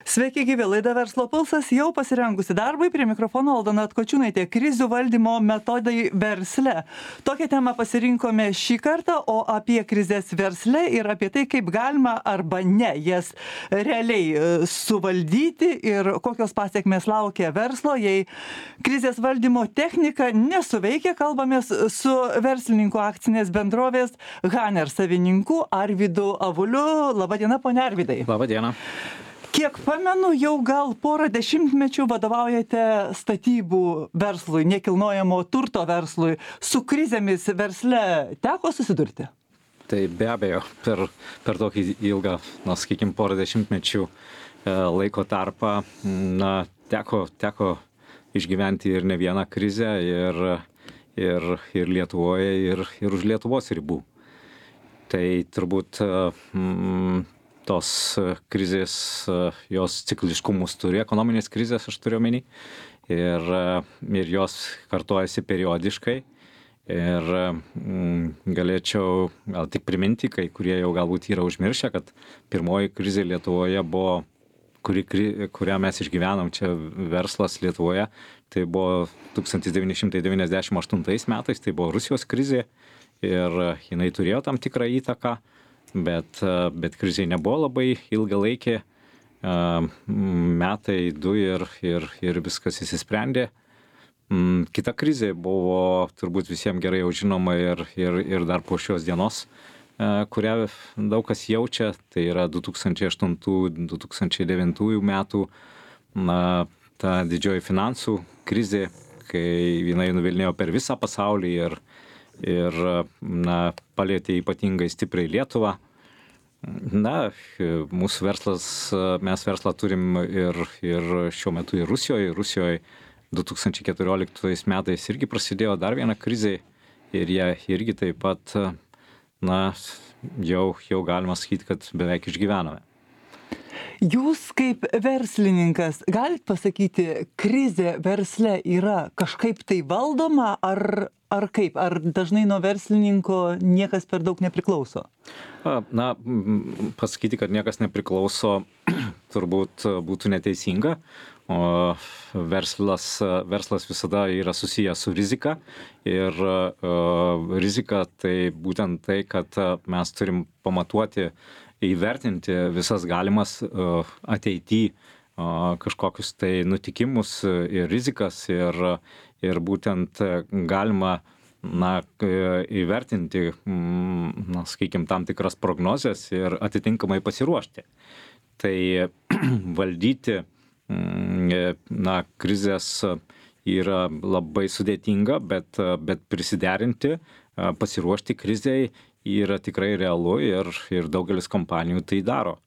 Sveiki gyvi, laida Verslo pulsas jau pasirengusi darbui, prie mikrofono Aldona Atkočiūnaitė, krizių valdymo metodai versle. Tokią temą pasirinkome šį kartą, o apie krizės versle ir apie tai, kaip galima arba ne jas realiai suvaldyti ir kokios pasiekmės laukia verslo, jei krizės valdymo technika nesuveikia. Kalbamės su verslininku akcinės bendrovės Haner savininku Arvydu Avuliu. Labadiena, ponia Arvydai. Labadiena. Kiek pamenu, jau gal porą dešimtmečių vadovaujate statybų verslui, nekilnojamo turto verslui. Su krizėmis versle teko susidurti? Tai be abejo, per tokį ilgą, sakykime, porą dešimtmečių laiko tarpą teko išgyventi ir ne vieną krizę ir Lietuvoje, ir už Lietuvos ribų. Tai turbūt tos krizės, jos cikliškumus turi, ekonominės krizės aš turiu omeny, ir jos kartojasi periodiškai. Ir galėčiau gal tik priminti, kai kurie jau galbūt yra užmiršę, kad pirmoji krizė Lietuvoje buvo, kurią mes išgyvenom čia verslas Lietuvoje, tai buvo 1998 metais, tai buvo Rusijos krizė ir jinai turėjo tam tikrą įtaką. Bet krizė nebuvo labai ilgalaikė, metai, du ir viskas įsisprendė. Kita krizė buvo turbūt visiems gerai jau žinoma ir dar po šios dienos, kurią daug kas jaučia, tai yra 2008-2009 metų ta didžioji finansų krizė, kai jinai nuvilnijo per visą pasaulį ir palietė ypatingai stipriai Lietuvą. Mūsų verslas, mes verslą turim ir šiuo metu ir Rusijoje. Rusijoje 2014 metais irgi prasidėjo dar viena krizė ir jie irgi taip pat, jau galima sakyti, kad beveik išgyvenome. Jūs kaip verslininkas galit pasakyti, krizė versle yra kažkaip tai valdoma ar kaip? Ar dažnai nuo verslininko niekas per daug nepriklauso? Pasakyti, kad niekas nepriklauso, turbūt būtų neteisinga. O verslas visada yra susijęs su rizika ir rizika tai būtent tai, kad mes turim pamatuoti, įvertinti visas galimas ateityje kažkokius tai nutikimus ir rizikas ir būtent galima įvertinti, sakykime, tam tikras prognozes ir atitinkamai pasiruošti. Tai valdyti krizės yra labai sudėtinga, bet prisiderinti, pasiruošti krizei yra tikrai realu ir daugelis kompanijų tai daro.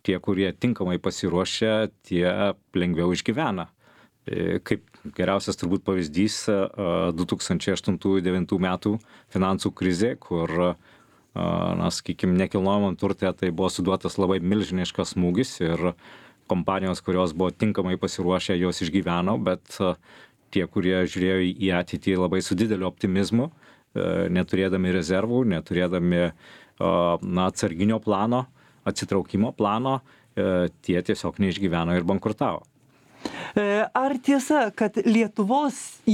Tie, kurie tinkamai pasiruošia, tie lengviau išgyvena. Kaip geriausias turbūt pavyzdys 2008-2009 metų finansų krizė, kur, sakykime, nekilnojamam turte tai buvo suduotas labai milžiniškas smūgis ir kompanijos, kurios buvo tinkamai pasiruošę, jos išgyveno, bet tie, kurie žiūrėjo į ateitį labai su dideliu optimizmu, neturėdami rezervų, neturėdami atsarginio plano, atsitraukimo plano, tie tiesiog neišgyveno ir bankrutavo. Ar tiesa, kad Lietuvoje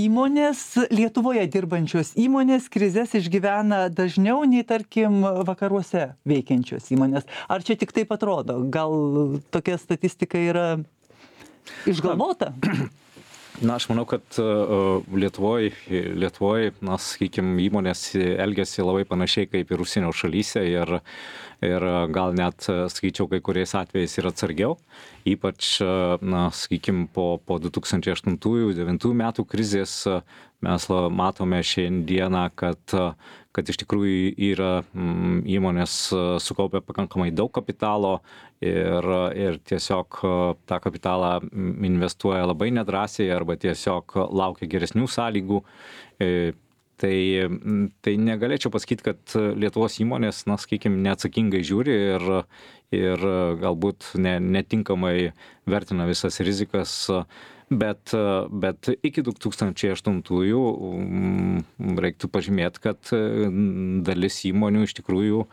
dirbančios įmonės krizės išgyvena dažniau nei, tarkim, vakaruose veikiančios įmonės? Ar čia tik taip atrodo? Gal tokia statistika yra išgalvota? Aš manau, kad Lietuvoje, sakykime, įmonės elgiasi labai panašiai kaip ir užsienio šalyse ir gal net, sakyčiau, kai kuriais atvejais ir atsargiau. Ypač, sakykime, po 2008-2009 metų krizės mes matome šiandieną, kad iš tikrųjų yra įmonės sukaupę pakankamai daug kapitalo ir tiesiog tą kapitalą investuoja labai nedrąsiai arba tiesiog laukia geresnių sąlygų. Tai negalėčiau pasakyti, kad Lietuvos įmonės, sakykime, neatsakingai žiūri ir galbūt netinkamai vertina visas rizikas, bet iki 2008-ųjų reiktų pažymėti, kad dalis įmonių iš tikrųjų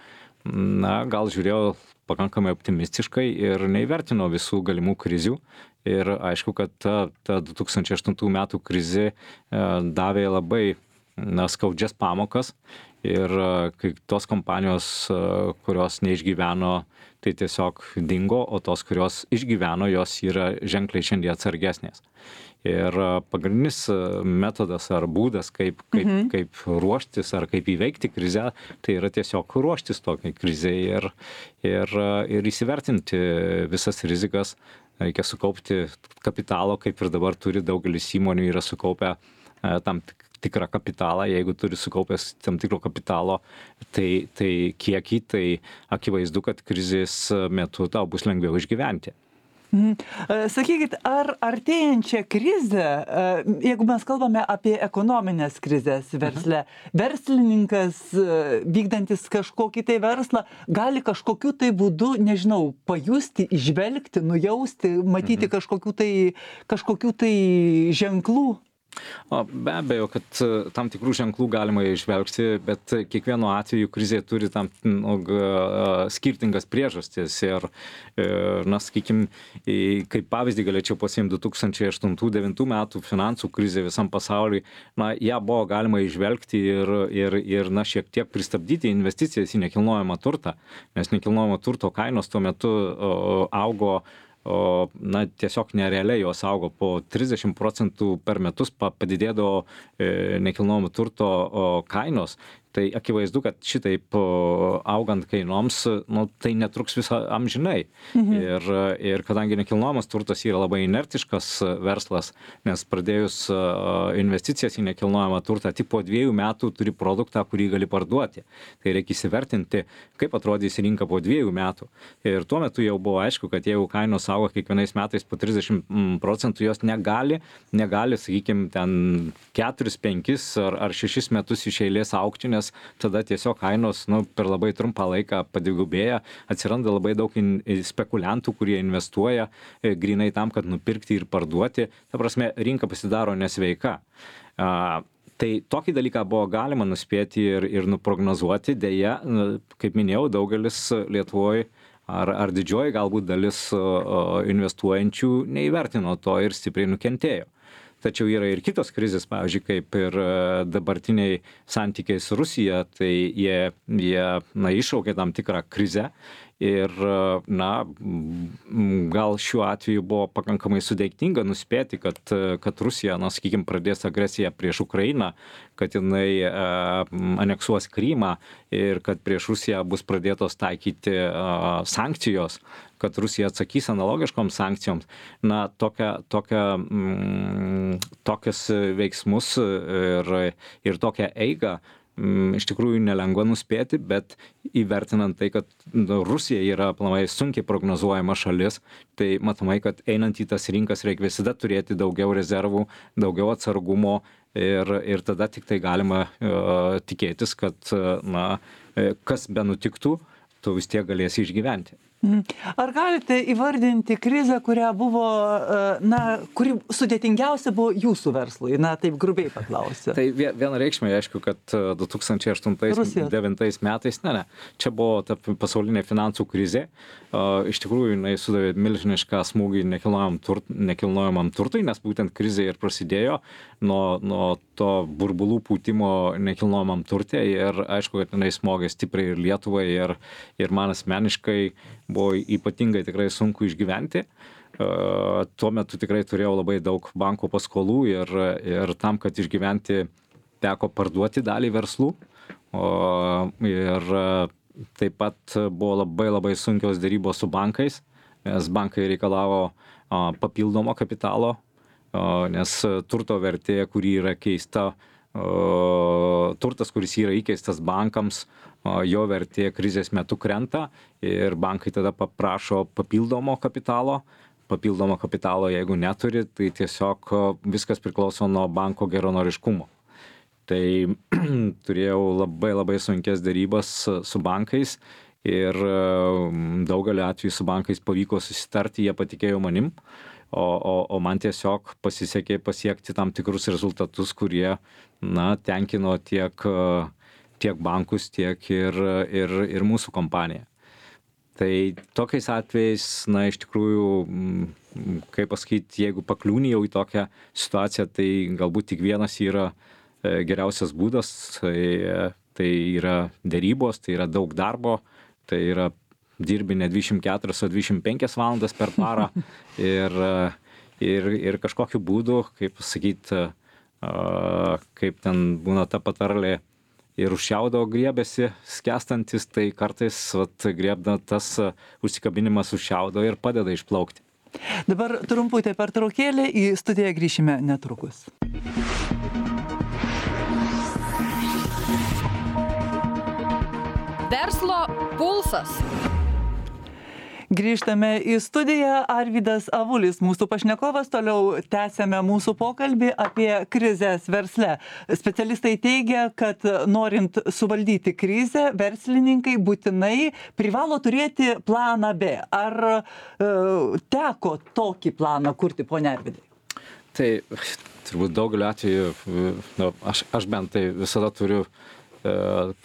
gal žiūrėjo pakankamai optimistiškai ir neįvertino visų galimų krizių. Ir aišku, kad ta 2008 metų krizė davė labai skaudžias pamokas. Ir kai tos kompanijos, kurios neišgyveno, tai tiesiog dingo, o tos, kurios išgyveno, jos yra ženkliai šiandien atsargesnės. Ir pagrindinis metodas ar būdas, kaip ruoštis ar kaip įveikti krizę, tai yra tiesiog ruoštis tokiai krizei ir įsivertinti visas rizikas. Reikia sukaupti kapitalo, kaip ir dabar turi daugelis įmonių, yra sukaupę tam tikrą kapitalą. Jeigu turi sukaupęs tam tikro kapitalo, tai kiekį, tai akivaizdu, kad krizės metu tau bus lengviau išgyventi. Sakykit, ar artėjančią krizę, jeigu mes kalbame apie ekonominės krizės versle, verslininkas vykdantis kažkokį tai verslą gali kažkokiu tai būdu, nežinau, pajusti, įžvelgti, nujausti, matyti kažkokių tai ženklų? Be abejo, kad tam tikrų ženklų galima išvelgti, bet kiekvienu atveju krizė turi tam skirtingas priežastis. Ir, sakykime, kaip pavyzdį galėčiau pasiimti 2008-2009 metų finansų krizė visam pasauliui, ją buvo galima išvelgti ir šiek tiek pristabdyti investicijas į nekilnojamą turtą, nes nekilnojamo turto kainos tuo metu augo tiesiog nerealiai jos augo po 30% per metus padidėdavo nekilnojamo turto kainos. Tai akivaizdu, kad šitaip augant kainoms, tai netruks visą amžinai. Ir kadangi nekilnojamas turtas yra labai inertiškas verslas, nes pradėjus investicijas į nekilnojamą turtą, tik po 2 metų turi produktą, kurį gali parduoti. Tai reikia įsivertinti, kaip atrodys rinka po 2 metų. Ir tuo metu jau buvo aišku, kad jeigu kainos auga kiekvienais metais po 30%, jos negali, sakykime, ten 4, 5 ar 6 metus iš eilės augti, nes tada tiesiog kainos per labai trumpą laiką padvigubėja, atsiranda labai daug spekuliantų, kurie investuoja grinai tam, kad nupirkti ir parduoti. Ta prasme, rinka pasidaro nesveika. Tai tokį dalyką buvo galima nuspėti ir nuprognozuoti. Deja, kaip minėjau, daugelis Lietuvoje ar didžioji galbūt dalis investuojančių neįvertino to ir stipriai nukentėjo. Tačiau yra ir kitos krizės, pavyzdžiui, kaip ir dabartiniai santykiai su Rusija, tai jie iššaukė tam tikrą krizę ir, gal šiuo atveju buvo pakankamai sudėtinga nuspėti, kad Rusija, sakykime, pradės agresiją prieš Ukrainą, kad jinai aneksuos Krymą ir kad prieš Rusiją bus pradėtos taikyti sankcijos, kad Rusija atsakys analogiškoms sankcijoms. Tokius veiksmus ir tokią eigą iš tikrųjų nelengva nuspėti, bet įvertinant tai, kad Rusija yra aplamai sunkiai prognozuojama šalis, tai matomai, kad einant į tas rinkas reikia visada turėti daugiau rezervų, daugiau atsargumo ir tada tik tai galima tikėtis, kad kas be nutiktų, tu vis tiek galėsi išgyventi. Ar galite įvardinti krizę, kuri sudėtingiausia buvo jūsų verslui? Taip grubiai paklausiu. Tai vienareikšmiai, aišku, kad 2008-2009 metais, čia buvo ta pasaulinė finansų krizė. Iš tikrųjų, jinai sudavė milžinišką smūgį nekilnojamam turtui, nes būtent krizė ir prasidėjo nuo to burbulų pūtimo nekilnojamam turte. Ir aišku, kad jinai smogė stipriai ir Lietuvai, ir man asmeniškai buvo ypatingai tikrai sunku išgyventi. Tuo metu tikrai turėjau labai daug banko paskolų ir tam, kad išgyventi, teko parduoti dalį verslų. Ir taip pat buvo labai labai sunkios dėrybos su bankais, nes bankai reikalavo papildomo kapitalo, nes turto vertė, kuri yra keista, turtas, kuris yra įkeistas bankams, jo vertė krizės metu krenta ir bankai tada paprašo papildomo kapitalo. Papildomo kapitalo, jeigu neturi, tai tiesiog viskas priklauso nuo banko geranoriškumo. Tai turėjau labai labai sunkės dėrybas su bankais ir daugelį atvejų su bankais pavyko susitarti, jie patikėjo manim, o man tiesiog pasisekė pasiekti tam tikrus rezultatus, kurie tenkino tiek tiek bankus, tiek ir mūsų kompaniją. Tai tokiais atvejais, na, iš tikrųjų, kaip pasakyti, jeigu pakliūni jau į tokią situaciją, tai galbūt tik vienas yra geriausias būdas, tai yra derybos, tai yra daug darbo, tai yra dirbi ne 24, o 25 valandas per parą ir kažkokiu būdu, kaip pasakyti, kaip ten būna ta patarlė, ir už šiaudo griebiasi skęstantis, tai kartais griebna tas užsikabinimas už šiaudo ir padeda išplaukti. Dabar trumputė pertraukėlė, į studiją grįšime netrukus. Verslo pulsas. Grįžtame į studiją. Arvydas Avulis, mūsų pašnekovas, toliau tęsiame mūsų pokalbį apie krizės versle. Specialistai teigia, kad norint suvaldyti krizę, verslininkai būtinai privalo turėti planą B. Ar teko tokį planą kurti, ponia Arvydai? Tai turbūt daugeliu atveju, aš bent tai visada turiu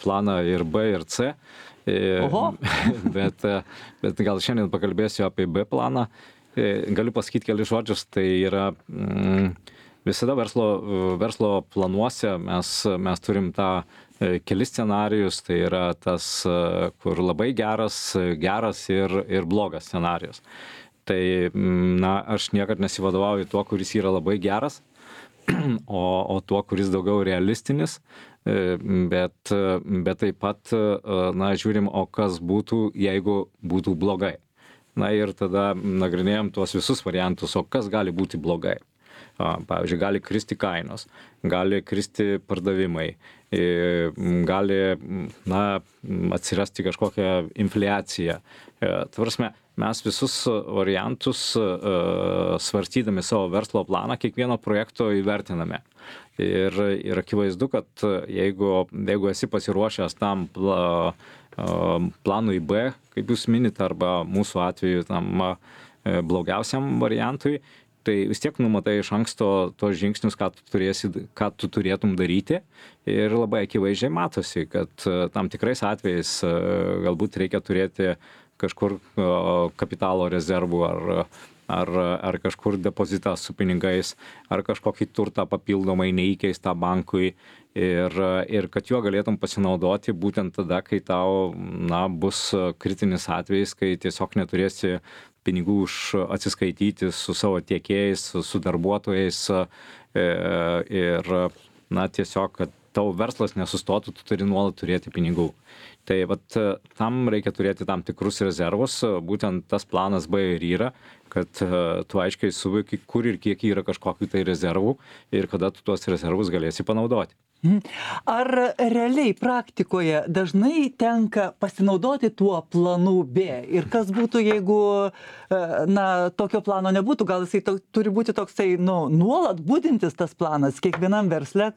planą ir B, ir C. Bet gal šiandien pakalbėsiu apie B planą. Galiu pasakyti kelius žodžius, tai yra visada verslo planuose mes turim tą kelis scenarijus, tai yra tas, kur labai geras ir blogas scenarijus. Tai, na, aš niekad nesivadovauju tuo, kuris yra labai geras, o tuo, kuris daugiau realistinis. Bet taip pat, na, žiūrim, o kas būtų, jeigu būtų blogai. Na ir tada nagrinėjom tuos visus variantus, o kas gali būti blogai. Pavyzdžiui, gali kristi kainos, gali kristi pardavimai, gali, na, atsirasti kažkokia infliacija. Tvarsime, mes visus variantus svarstydami savo verslo planą, kiekvieno projekto įvertiname. Ir akivaizdu, kad jeigu esi pasiruošęs tam planui B, kaip jūs minit, arba mūsų atveju tam blogiausiam variantui, tai vis tiek numatai iš anksto tos žingsnius, ką tu turėtum daryti. Ir labai akivaizdžiai matosi, kad tam tikrais atvejais galbūt reikia turėti kažkur kapitalo rezervų ar kažkur depozitą su pinigais, ar kažkokį turtą papildomai neįkeistą bankui ir kad juo galėtum pasinaudoti būtent tada, kai tau, na, bus kritinis atvejis, kai tiesiog neturėsi pinigų už atsiskaityti su savo tiekėjais, su darbuotojais ir, na, tiesiog, kad tavo verslas nesustotų, tu turi nuolat turėti pinigų. Tai vat tam reikia turėti tam tikrus rezervus, būtent tas planas B ir yra, kad tu aiškiai suvoki, kur ir kiek yra kažkokių tai rezervų ir kada tu tuos rezervus galėsi panaudoti. Ar realiai praktikoje dažnai tenka pasinaudoti tuo planu B? Ir kas būtų, jeigu, na, tokio plano nebūtų? Gal jisai turi būti toksai, nu, nuolat budintis tas planas kiekvienam versle,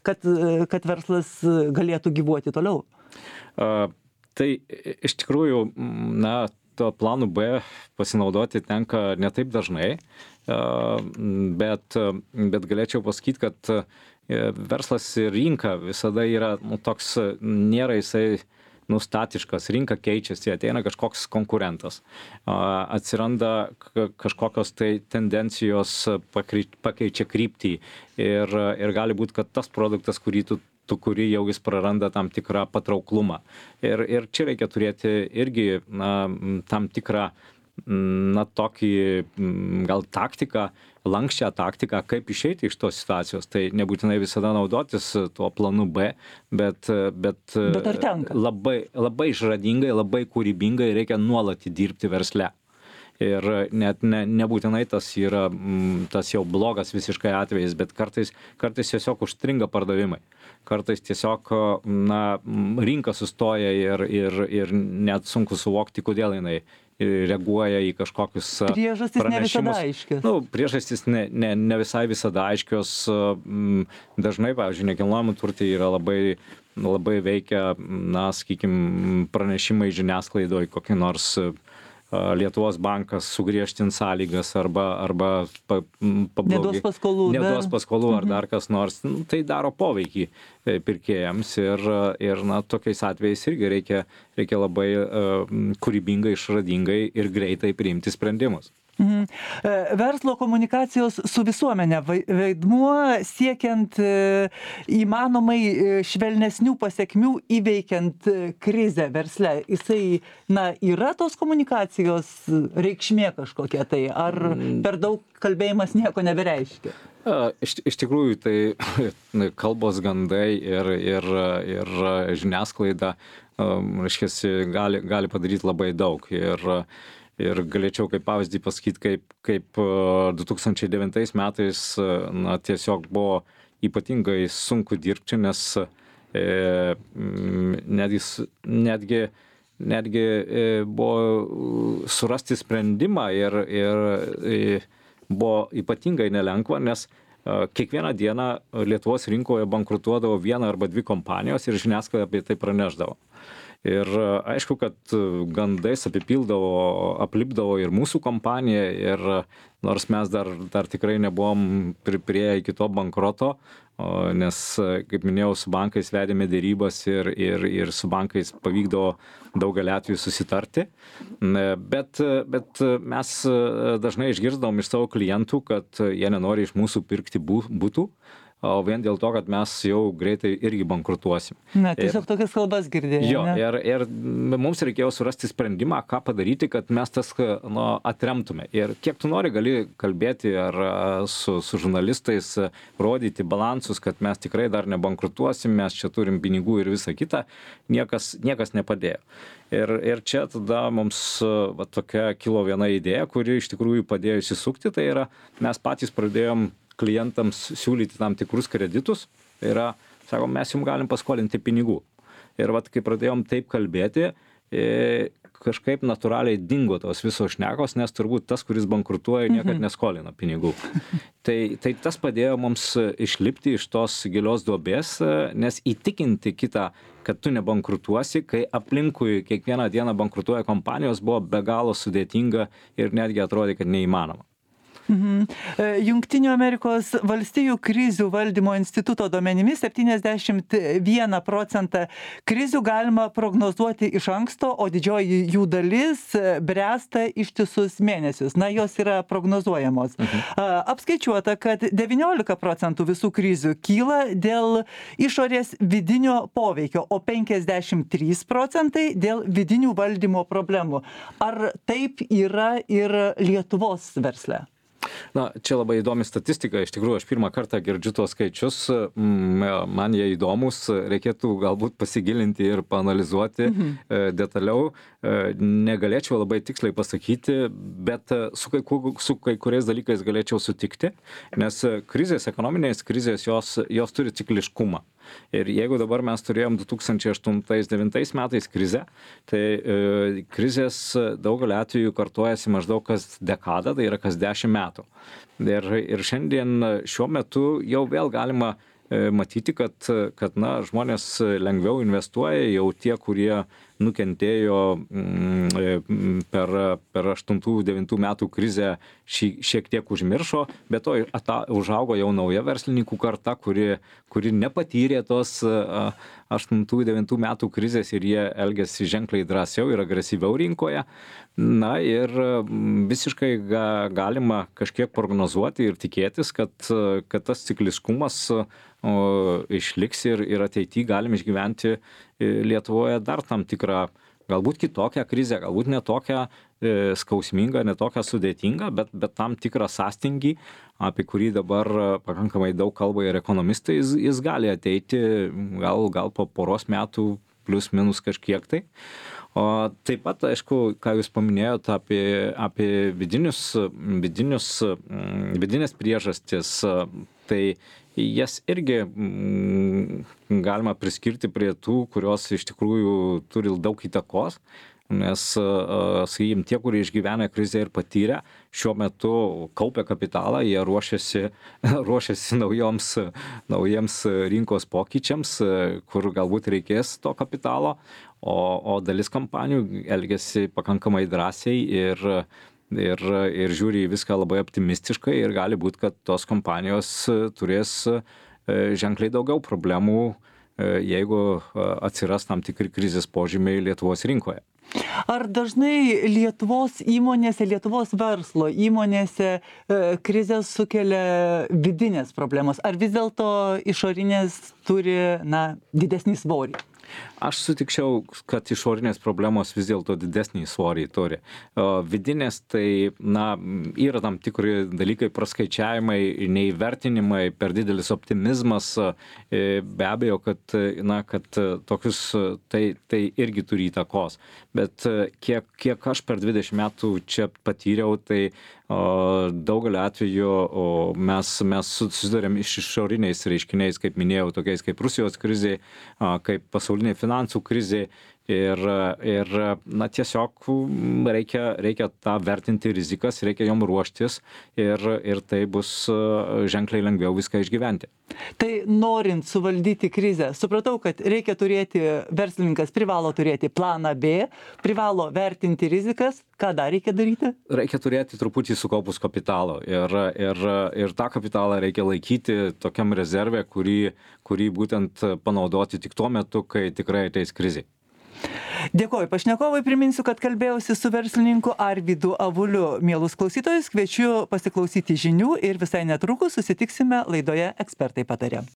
kad verslas galėtų gyvuoti toliau? Tai iš tikrųjų, na, to planu B pasinaudoti tenka ne taip dažnai, bet galėčiau pasakyti, kad verslas ir rinka visada yra, nu, toks, nėra jisai statiškas, rinka keičiasi, ateina kažkoks konkurentas, atsiranda kažkokios tai tendencijos, pakeičia kryptį ir gali būti, kad tas produktas, kurį tu kuri jau jis praranda tam tikrą patrauklumą. Ir čia reikia turėti irgi, na, tam tikrą, na, tokį gal taktiką, lankščią taktiką, kaip išeiti iš tos situacijos. Tai nebūtinai visada naudotis tuo planu B, bet ar tenka? Labai išradingai, labai kūrybingai reikia nuolat dirbti versle. Ir net nebūtinai tas yra tas jau blogas visiškai atvejis, bet kartais tiesiog užstringa pardavimai. Kartais tiesiog, na, rinka sustoja ir net sunku suvokti, kodėl jinai reaguoja į kažkokius priežastys pranešimus. Ne visada aiškios. Nu, priežastys ne visai visada aiškios. Dažnai, pavyzdžiui, nekilnojamų turtai yra labai veikia, na, sakykime, pranešimai žiniasklaidoje, kokie nors Lietuvos bankas sugriežtins sąlygas arba Neduos paskolų. neduos paskolų ar dar kas nors, tai daro poveikį pirkėjams ir na, tokiais atvejais irgi reikia labai kūrybingai, išradingai ir greitai priimti sprendimus. Verslo komunikacijos su visuomenė vaidmuo siekiant įmanomai švelnesnių pasekmių įveikiant krizę versle. Jisai, yra tos komunikacijos reikšmė kažkokia tai, ar per daug kalbėjimas nieko nebereiškia? Iš tikrųjų, tai kalbos gandai ir žiniasklaida, reiškia, gali padaryti labai daug. Ir galėčiau kaip pavyzdį pasakyti, kaip 2009 metais tiesiog buvo ypatingai sunku dirbti, nes netgi buvo surasti sprendimą ir buvo ypatingai nelengva, nes kiekvieną dieną Lietuvos rinkoje bankrutuodavo viena arba dvi kompanijos ir žiniasklaida apie tai pranešdavo. Ir aišku, kad gandais aplipdavo ir mūsų kompaniją, ir nors mes dar tikrai nebuvom priėję iki to bankroto, nes, kaip minėjau, su bankais vedėme dėrybas ir su bankais pavykdavo daugelį atvejų susitarti. Bet mes dažnai išgirsdavom iš savo klientų, kad jie nenori iš mūsų pirkti būtų, o vien dėl to, kad mes jau greitai irgi bankrutuosim. Tiesiog tokias kalbas girdėjome. Jo, ir mums reikėjo surasti sprendimą, ką padaryti, kad mes tas atremtume. Ir kiek tu nori, gali kalbėti ar su žurnalistais, rodyti balansus, kad mes tikrai dar nebankrutuosim, mes čia turim pinigų ir visą kitą, niekas nepadėjo. Ir čia tada mums tokia kilo viena idėja, kuri iš tikrųjų padėjo įsisukti, tai yra mes patys pradėjom klientams siūlyti tam tikrus kreditus, tai yra, sakom, mes jums galim paskolinti pinigų. Ir kai pradėjom taip kalbėti, kažkaip natūraliai dingo tos visos šnekos, nes turbūt tas, kuris bankrutuoja, niekad neskolina pinigų. Tai tas padėjo mums išlipti iš tos gilios duobės, nes įtikinti kitą, kad tu nebankrutuosi, kai aplinkui kiekvieną dieną bankrutuoja kompanijos, buvo be galo sudėtinga ir netgi atrodė, kad neįmanoma. Jungtinių Amerikos valstijų krizių valdymo instituto duomenimis 71% krizių galima prognozuoti iš anksto, o didžioji jų dalis bręsta ištisus mėnesius. Jos yra prognozuojamos. Apskaičiuota, kad 19% visų krizių kyla dėl išorės vidinio poveikio, o 53% dėl vidinių valdymo problemų. Ar taip yra ir Lietuvos versle? Čia labai įdomi statistika, iš tikrųjų aš pirmą kartą girdžiu tuos skaičius, man jie įdomus, reikėtų galbūt pasigilinti ir paanalizuoti detaliau, negalėčiau labai tiksliai pasakyti, bet su kai kuriais dalykais galėčiau sutikti, nes ekonominės krizės jos turi cikliškumą. Ir jeigu dabar mes turėjom 2008-2009 metais krizę, tai krizės daugelį atvejų kartojasi maždaug kas dekadą, tai yra kas 10 metų. Ir šiandien šiuo metu jau vėl galima matyti, kad žmonės lengviau investuoja, jau tie, kurie nukentėjo per 8-9 metų krizę šiek tiek užmiršo, bet to užaugo jau nauja verslininkų karta, kuri nepatyrė tos 8-9 metų krizės ir jie elgiasi ženkliai drąsiau ir agresyviau rinkoje. Ir visiškai galima kažkiek prognozuoti ir tikėtis, kad tas cikliškumas išliks ir ateityje galim išgyventi Lietuvoje dar tam tikrą, galbūt kitokią krizę, galbūt ne tokią skausmingą, ne tokią sudėtingą, bet tam tikrą sąstingį, apie kurį dabar pakankamai daug kalba ir ekonomistai, jis gali ateiti gal po poros metų plius minus kažkiek tai. O taip pat, aišku, ką jūs paminėjote apie vidinės priežastis, tai jas irgi galima priskirti prie tų, kurios iš tikrųjų turi daug įtakos. nes, sakykim, tie, kurie išgyvena krizę ir patyrę, šiuo metu kaupia kapitalą, jie ruošiasi naujiems rinkos pokyčiams, kur galbūt reikės to kapitalo, o dalis kompanijų elgiasi pakankamai drąsiai ir žiūri į viską labai optimistiškai ir gali būt, kad tos kompanijos turės ženkliai daugiau problemų, jeigu atsiras tam tikri krizės požymiai Lietuvos rinkoje. Ar dažnai Lietuvos įmonėse, Lietuvos verslo įmonėse krizės sukelia vidinės problemos? Ar vis dėlto išorinės turi, didesnį svorį? Aš sutikčiau, kad išorinės problemos vis dėlto didesnį svorį turi. Vidinės tai, yra tam tikri dalykai, praskaičiavimai, neįvertinimai, per didelis optimizmas, be abejo, kad tokius tai irgi turi įtakos. Bet kiek aš per 20 metų čia patyriau, tai daugelio atveju mes susidurėm iš išoriniais reiškiniais, kaip minėjau, tokiais kaip Rusijos krizė, kaip pasaulinė finansų krizė ir tiesiog reikia tą vertinti rizikas, reikia jom ruoštis ir tai bus ženkliai lengviau viską išgyventi. Tai norint suvaldyti krizę, supratau, kad verslininkas privalo turėti planą B, privalo vertinti rizikas. Ką dar reikia daryti? Reikia turėti truputį sukaupus kapitalo ir tą kapitalą reikia laikyti tokiam rezerve, kurį būtent panaudoti tik tuo metu, kai tikrai ateis krizė. Dėkoju pašnekovui, priminsiu, kad kalbėjausi su verslininku Arvydu Avuliu. Mielus klausytojus, kviečiu pasiklausyti žinių ir visai netrukus susitiksime laidoje Ekspertai pataria.